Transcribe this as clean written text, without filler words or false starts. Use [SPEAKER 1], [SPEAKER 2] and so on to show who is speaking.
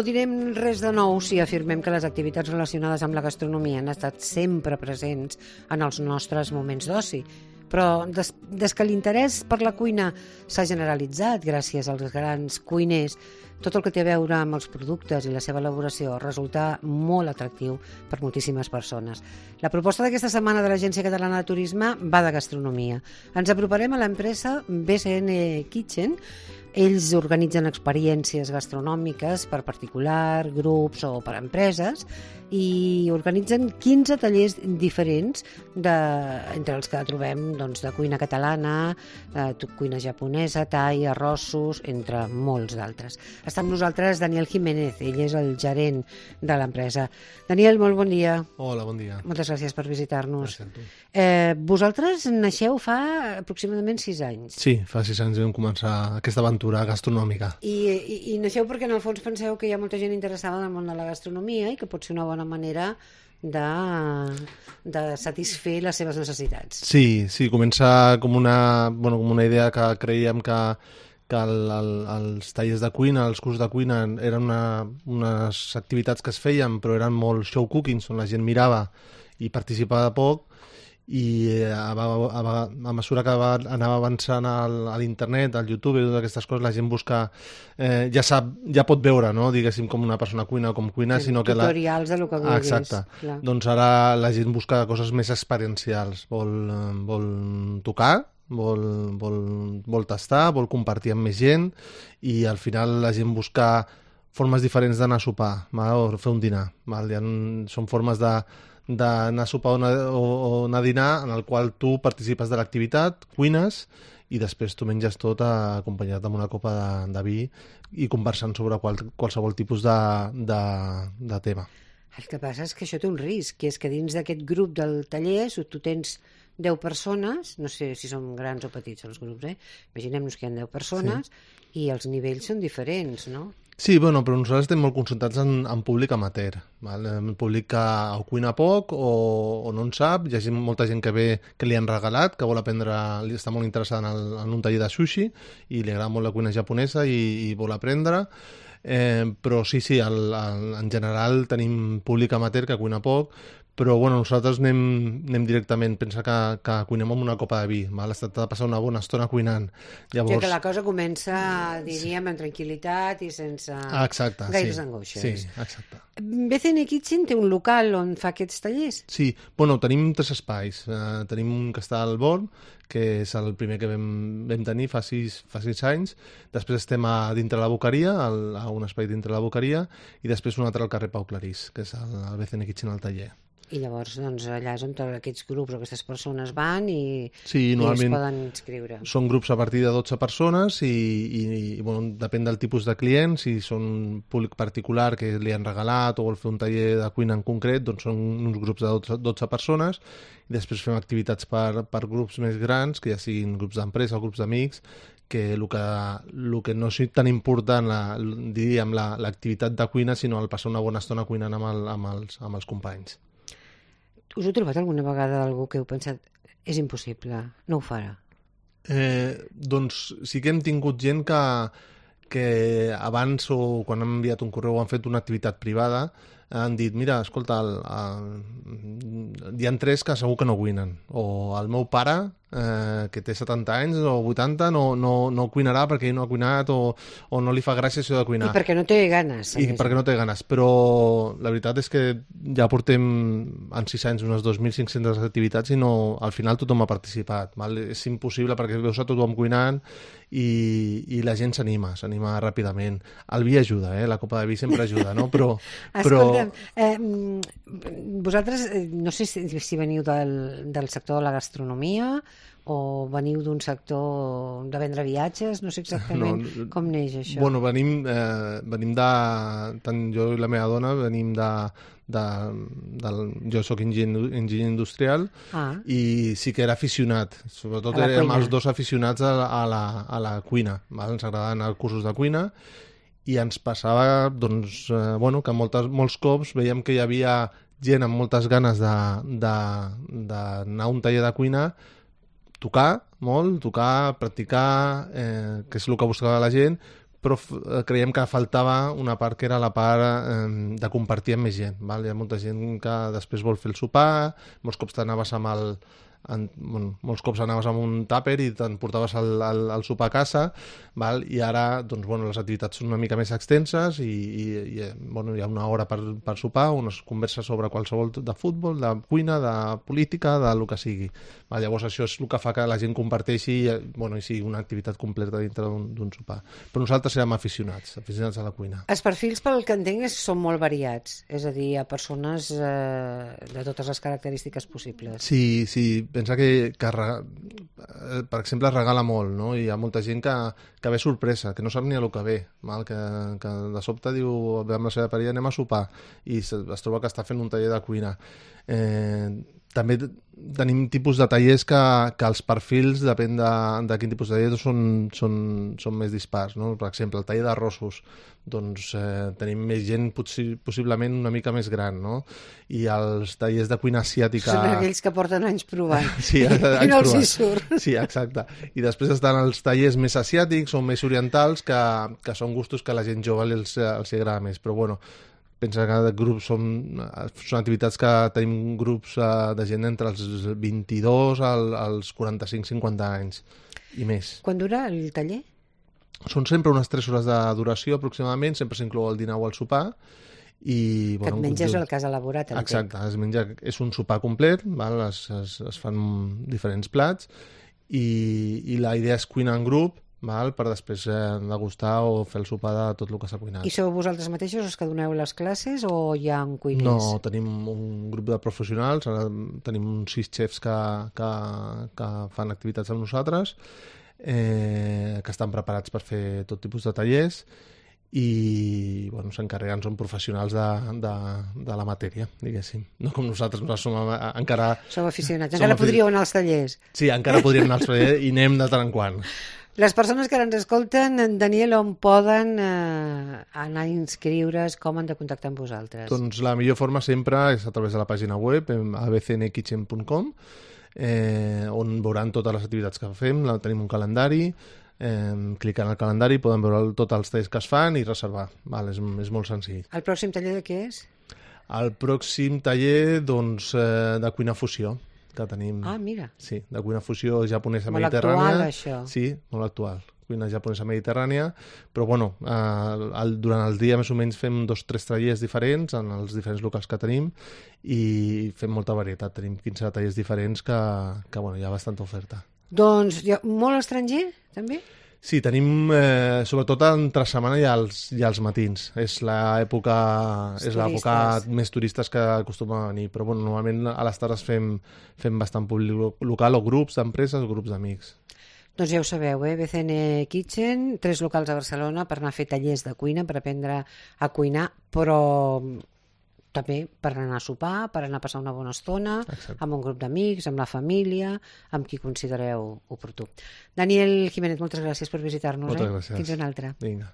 [SPEAKER 1] direm res de nou si afirmem que les activitats relacionades amb la gastronomia han estat sempre presents en els nostres moments d'oci. Però des que l'interès per la cuina s'ha generalitzat gràcies als grans cuiners, tot el que té a veure amb els productes i la seva elaboració resulta molt atractiu per moltíssimes persones. La proposta d'aquesta setmana de l'Agència Catalana de Turisme va de gastronomia. Ens aproparem a l'empresa BCN Kitchen. Ells organitzen experiències gastronòmiques per particular, grups o per empreses i organitzen 15 tallers diferents entre els que trobem de cuina catalana, cuina japonesa, thai, arrossos, entre molts d'altres. Està amb nosaltres Daniel Jiménez, ell és el gerent de l'empresa. Daniel, molt bon dia.
[SPEAKER 2] Hola, bon dia.
[SPEAKER 1] Moltes gràcies per visitar-nos.
[SPEAKER 2] Gràcies a tu.
[SPEAKER 1] Vosaltres naixeu fa aproximadament 6 anys.
[SPEAKER 2] Sí, fa 6 anys vam començar aquesta aventura gastronòmica.
[SPEAKER 1] I naixeu perquè en el fons penseu que hi ha molta gent interessada en el món de la gastronomia i que pot ser una bona manera de satisfer les seves necessitats.
[SPEAKER 2] Sí, comença com una idea que creiem que els tallers de cuina, els cursos de cuina eren unes activitats que es feien però eren molt show cooking, on la gent mirava i participava poc, i a mesura que anava avançant a l'internet, al YouTube i totes aquestes coses, la gent busca, ja pot veure, no? Diguéssim, com una persona cuina o com cuina, sinó que
[SPEAKER 1] tutorials de lo que vulguis.
[SPEAKER 2] Exacte.
[SPEAKER 1] Clar.
[SPEAKER 2] Doncs ara la gent busca coses més experiencials, vol tocar, vol tastar, vol compartir amb més gent, i al final la gent busca formes diferents d'anar a sopar, o fer un dinar. Són formes d'anar a sopar o anar a dinar en el qual tu participes de l'activitat, cuines i després tu menges tot acompanyat amb una copa de vi i conversant sobre qualsevol tipus de tema.
[SPEAKER 1] El que passa és que això té un risc, que és que dins d'aquest grup del taller, si tu tens 10 persones, no sé si són grans o petits els grups, imaginem-nos que hi ha 10 persones, sí. I els nivells són diferents, no?
[SPEAKER 2] Sí, però nosaltres estem molt concentrats en públic amateur, en públic que o cuina poc o no en sap. Hi ha molta gent que ve que li han regalat, que vol aprendre, està molt interessada en un taller de sushi i li agrada molt la cuina japonesa i vol aprendre. Però sí, en general tenim públic amateur que cuina poc, però nosaltres anem directament, pensa que cuinem amb una copa de vi, es tracta de passar una bona estona cuinant. Llavors...
[SPEAKER 1] Ja que la cosa comença, diríem, amb tranquil·litat i sense gaires angoixes.
[SPEAKER 2] Sí, exacte.
[SPEAKER 1] BCN Kitchen té un local on fa aquests tallers?
[SPEAKER 2] Sí, tenim 3 espais. Tenim un que està al Born, que és el primer que vam tenir fa 6 anys. Després estem a dintre la Boqueria, a un espai dintre la Boqueria, i després un altre al carrer Pau Clarís, que és el BCN Kitchen al taller.
[SPEAKER 1] I llavors allà és on aquests grups o aquestes persones van i es poden inscriure.
[SPEAKER 2] Són grups a partir de 12 persones i depèn del tipus de client. Si són públic particular que li han regalat o vol fer un taller de cuina en concret, doncs són uns grups de 12 persones, i després fem activitats per grups més grans, que ja siguin grups d'empresa o grups d'amics, que el que no és tan important, diríem, l'activitat de cuina, sinó el passar una bona estona cuinant amb els companys.
[SPEAKER 1] Us heu trobat alguna vegada algú que heu pensat és impossible, no ho farà?
[SPEAKER 2] Doncs sí que hem tingut gent que abans o quan han enviat un correu o han fet una activitat privada han dit, mira, escolta, hi ha 3 que segur que no cuinen, o el meu pare que té 70 anys o 80 no cuinarà perquè ell no ha cuinat o no li fa gràcia això de cuinar.
[SPEAKER 1] I perquè no té ganes.
[SPEAKER 2] Perquè no té ganes, però la veritat és que ja portem en 6 anys unes 2.500 activitats i al final tothom ha participat. És impossible perquè veus a tothom cuinant i la gent s'anima ràpidament. El vi ajuda, la copa de vi sempre ajuda, no?
[SPEAKER 1] Escolta'm, vosaltres no sé si veniu del sector de la gastronomia o veniu d'un sector de vendre viatges, no sé exactament com neix això.
[SPEAKER 2] Venim tant jo i la meva dona venim jo soc enginyer industrial i sí que era aficionat, sobretot érem els 2 aficionats a la cuina, ens agradaven els cursos de cuina i ens passava que molts cops veiem que hi havia gent amb moltes ganes d'anar a un taller de cuina, tocar, practicar, que és el que buscava la gent, però creiem que faltava una part que era la part de compartir amb més gent. Val? Hi ha molta gent que després vol fer el sopar, molts cops t'anaves molts cops anaves amb un tàper i t'emportaves el sopar a casa, val? I ara doncs, les activitats són una mica més extenses i hi ha una hora per sopar, on es conversa sobre qualsevol de futbol, de cuina, de política, del que sigui. Val? Llavors això és el que fa que la gent comparteixi i sigui una activitat completa dintre d'un sopar. Però nosaltres érem aficionats a la cuina.
[SPEAKER 1] Els perfils, pel que entenc, són molt variats, és a dir, hi ha persones de totes les característiques possibles.
[SPEAKER 2] Sí, pensa que per exemple, regala molt, no? I hi ha molta gent que ve sorpresa, que no sap ni a lo que ve, val? Que de sobte diu, ve amb la seva parella, anem a sopar, i es troba que està fent un taller de cuina. També tenim tipus de tallers que els perfils, depèn de quin tipus de taller, són més dispars, no? Per exemple, el taller d'arrossos, doncs tenim més gent possiblement una mica més gran, no? I els tallers de cuina asiàtica...
[SPEAKER 1] Són aquells que porten anys provant.
[SPEAKER 2] Sí,
[SPEAKER 1] i no els hi surt.
[SPEAKER 2] Sí, exacte. I després estan els tallers més asiàtics o més orientals, que són gustos que a la gent jove els agrada més. Però bueno, pensa que grups són activitats que tenim grups de gent entre els 22 als 45-50 anys i més.
[SPEAKER 1] Quan dura el taller?
[SPEAKER 2] Són sempre unes 3 hores de duració aproximadament, sempre s'inclou el dinar o el sopar. I,
[SPEAKER 1] que et menges el que has elaborat.
[SPEAKER 2] Exacte, és un sopar complet, val? Es fan diferents plats i la idea és cuinar en grup, val? Per després degustar o fer el sopar de tot el que s'ha cuinat.
[SPEAKER 1] I sou vosaltres mateixos els que doneu les classes o hi ha un cuiners?
[SPEAKER 2] No, tenim un grup de professionals, ara tenim uns 6 xefs que fan activitats amb nosaltres, que estan preparats per fer tot tipus de tallers i s'encarreguen, són professionals de la matèria, diguéssim. No com nosaltres som encara...
[SPEAKER 1] Sou aficionats, encara podríeu anar als tallers.
[SPEAKER 2] Sí, encara podríem anar als tallers i anem de tant en quant.
[SPEAKER 1] Les persones que ara ens escolten, Daniel, on poden anar a inscriure's, com han de contactar amb vosaltres?
[SPEAKER 2] Doncs la millor forma sempre és a través de la pàgina web, abcnkitchen.com, on veuran totes les activitats que fem, tenim un calendari, clicant al calendari poden veure tots els tallers que es fan i reservar. Val, és molt senzill.
[SPEAKER 1] El pròxim taller de què és?
[SPEAKER 2] El pròxim taller, doncs, de cuina fusió que tenim.
[SPEAKER 1] Ah, mira.
[SPEAKER 2] Sí, de cuina fusió japonesa
[SPEAKER 1] molt
[SPEAKER 2] mediterrània.
[SPEAKER 1] Molt actual, això.
[SPEAKER 2] Sí, molt actual. Cuina japonesa mediterrània, però bueno, durant el dia més o menys fem 2 o 3 tallers diferents en els diferents locals que tenim i fem molta varietat. Tenim 15 tallers diferents que hi ha bastanta oferta.
[SPEAKER 1] Doncs molt estranger, també?
[SPEAKER 2] Sí, tenim sobretot entre setmana i els matins. És l'època més turistes que acostumen a venir, però normalment a les tardes fem bastant públic local o grups d'empreses o grups d'amics.
[SPEAKER 1] Doncs ja ho sabeu, BCN Kitchen, 3 locals a Barcelona per anar a fer tallers de cuina, per aprendre a cuinar, però també per anar a sopar, per anar a passar una bona estona. Exacte. Amb un grup d'amics, amb la família, amb qui considereu oportú. Daniel Jiménez, moltes gràcies per visitar-nos.
[SPEAKER 2] Moltes gràcies.
[SPEAKER 1] Fins una altra.
[SPEAKER 2] Vinga.